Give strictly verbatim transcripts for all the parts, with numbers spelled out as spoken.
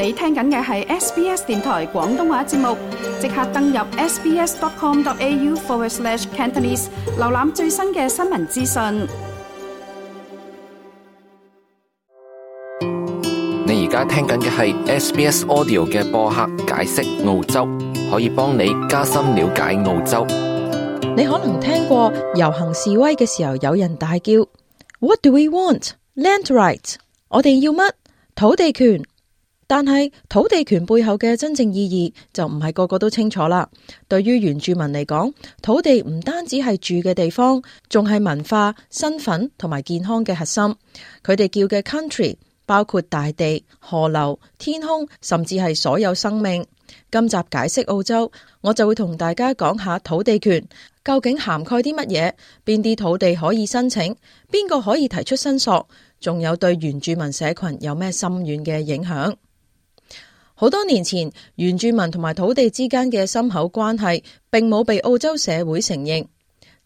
你聽緊嘅係 S B S 電台廣東話節目，即刻登入 sbs.com.au forward slash Cantonese， 瀏覽最新嘅新聞資訊。你而家聽緊嘅係 S B S Audio 嘅播客解釋澳洲，可以幫你加深了解澳洲。你可能聽過遊行示威嘅時候有人大叫 What do we want? Land rights。 我哋要乜？土地權。但係土地權背後嘅真正意義就唔係個個都清楚啦。對於原住民嚟講，土地唔單止係住嘅地方，仲係文化、身份同埋健康嘅核心。佢哋叫嘅 country 包括大地、河流、天空，甚至係所有生命。今集解釋澳洲，我就會同大家講下土地權究竟涵蓋啲乜嘢，邊啲土地可以申請，邊個可以提出申索，仲有對原住民社群有咩深遠嘅影響。好多年前，原住民同埋土地之間嘅深厚關係並冇被澳洲社會承認，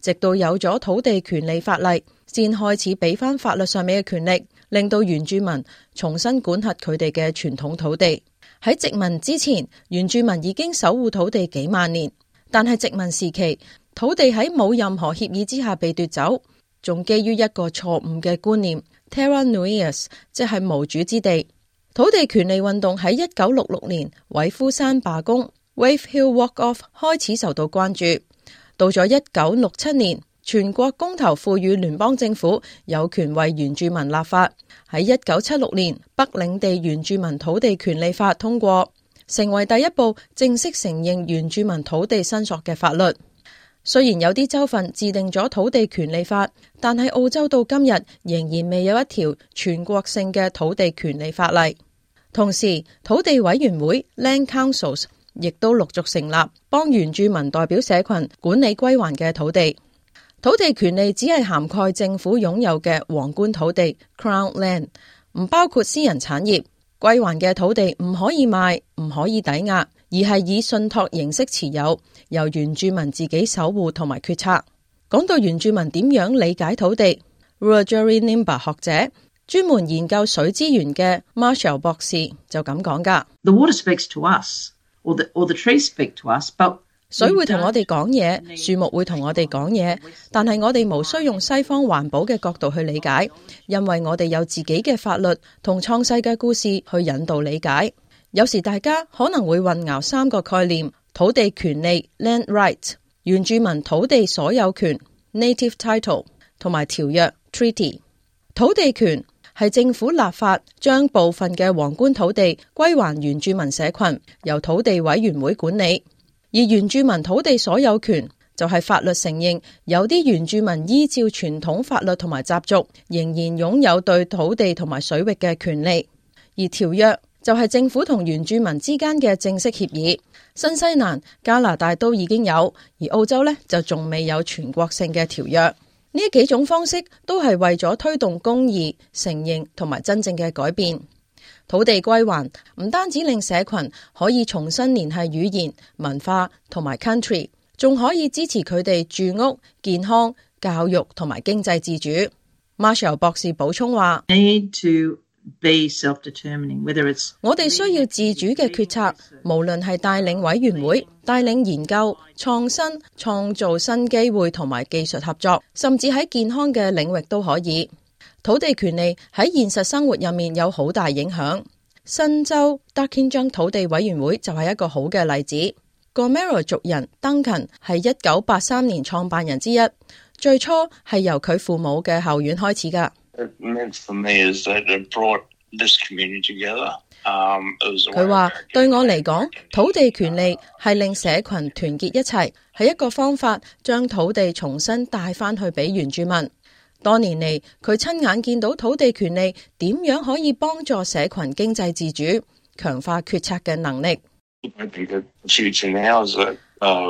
直到有咗土地權利法例，先開始俾翻法律上面嘅權力，令到原住民重新管轄佢哋嘅傳統土地。喺殖民之前，原住民已經守護土地幾萬年，但係殖民時期，土地喺冇任何協議之下被奪走，仲基於一個錯誤嘅觀念 Terra Nullius， 即係無主之地。土地權利運動喺一九六六年韋夫山罷工 Wave Hill Walk Off 開始受到關注。到咗一九六七年，全國公投賦予聯邦政府有權為原住民立法。喺一九七六年，北領地原住民土地權利法通過，成為第一部正式承認原住民土地申索嘅法律。雖然有啲州份制定咗土地權利法，但係澳洲到今日仍然未有一條全國性嘅土地權利法例。同時，土地委員會 Land Councils 亦都陸續成立，幫原住民代表社群管理歸還嘅土地。土地權利只係涵蓋政府擁有嘅皇冠土地 Crown Land， 唔包括私人產業。歸還嘅土地唔可以賣，唔可以抵押，而係以信託形式持有，由原住民自己守護同埋決策。講到原住民點樣理解土地， Wiradjuri Nimba 學者專門研究水資源嘅 Marshall 博士就咁講噶。The water speaks to us, or the, or the trees speak to us, but水會同我哋講嘢，樹木會同我哋講嘢，但係我哋無需用西方環保嘅角度去理解，因為我哋有自己嘅法律同創世嘅故事去引導理解。有時大家可能會混淆三個概念：土地權利 （land rights）、原住民土地所有權 （native title） 同埋條約 （treaty）。土地權係政府立法將部分嘅皇冠土地歸還原住民社群，由土地委員會管理。而原住民土地所有權就係法律承認有啲原住民依照傳統法律同埋習俗，仍然擁有對土地同埋水域嘅權利。而條約就係政府同原住民之間嘅正式協議。新西蘭、加拿大都已經有，而澳洲呢就仲未有全國性嘅條約。呢幾種方式都係為咗推動公義、承認同埋真正嘅改變。土地歸還唔單止令社群可以重新聯繫語言、文化同埋 country， 仲可以支持佢哋住屋、健康、教育同埋經濟自主。Marshall 博士補充話： need to be self-determining, whether it's 我哋需要自主嘅決策，無論係帶領委員會、帶領研究、創新、創造新機會同埋技術合作，甚至喺健康嘅領域都可以。土地權利喺現實生活入面有好大影響。新州 Darkinjung 土地委員會就係一個好嘅例子。Gomeroi 族人 Duncan 係一九八三年創辦人之一，最初係由佢父母嘅後院開始噶。佢話對我嚟講，土地權利係令社群團結一齊，係一個方法將土地重新帶翻去俾原住民。多年嚟，佢親眼見到土地權利點樣可以幫助社群經濟自主，強化決策嘅能力。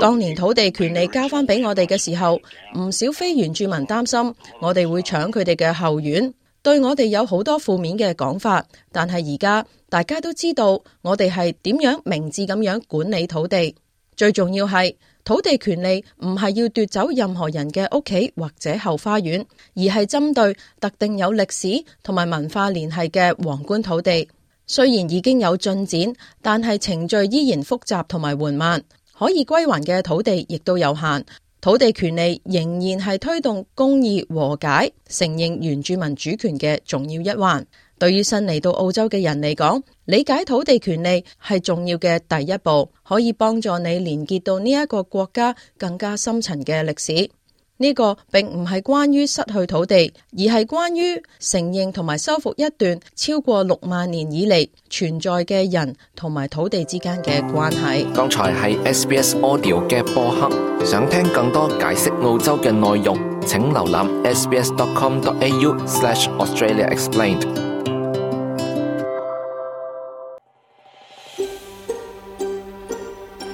當年土地權利交翻俾我哋嘅時候，唔少非原住民擔心我哋會搶佢哋嘅後院，對我哋有好多負面嘅講法。但係而家大家都知道我哋係點樣明智咁樣管理土地。最重要係土地權利唔係要奪走任何人嘅屋企或者後花園，而係針對特定有歷史同埋文化聯繫嘅皇冠土地。雖然已經有進展，但係程序依然複雜同埋緩慢，可以歸還嘅土地亦都有限。土地權利仍然係推動公義和解、承認原住民主權嘅重要一環。對於新嚟到澳洲嘅人嚟講，理解土地權利係重要嘅第一步，可以幫助你連結到呢一個國家更加深層嘅歷史。呢個並唔係關於失去土地，而係關於承認同埋修復一段超過六萬年以嚟存在嘅人同埋土地之間嘅關係。剛才係 S B S Audio 嘅播客，想聽更多解釋澳洲嘅內容，請瀏覽 s b s dot com dot a u slash Australia Explained。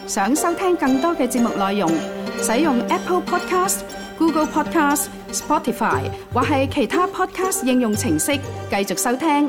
想收聽更多嘅節目內容，使用 Apple Podcast、Google Podcast、Spotify 或係其他 Podcast 應用程式繼續收聽。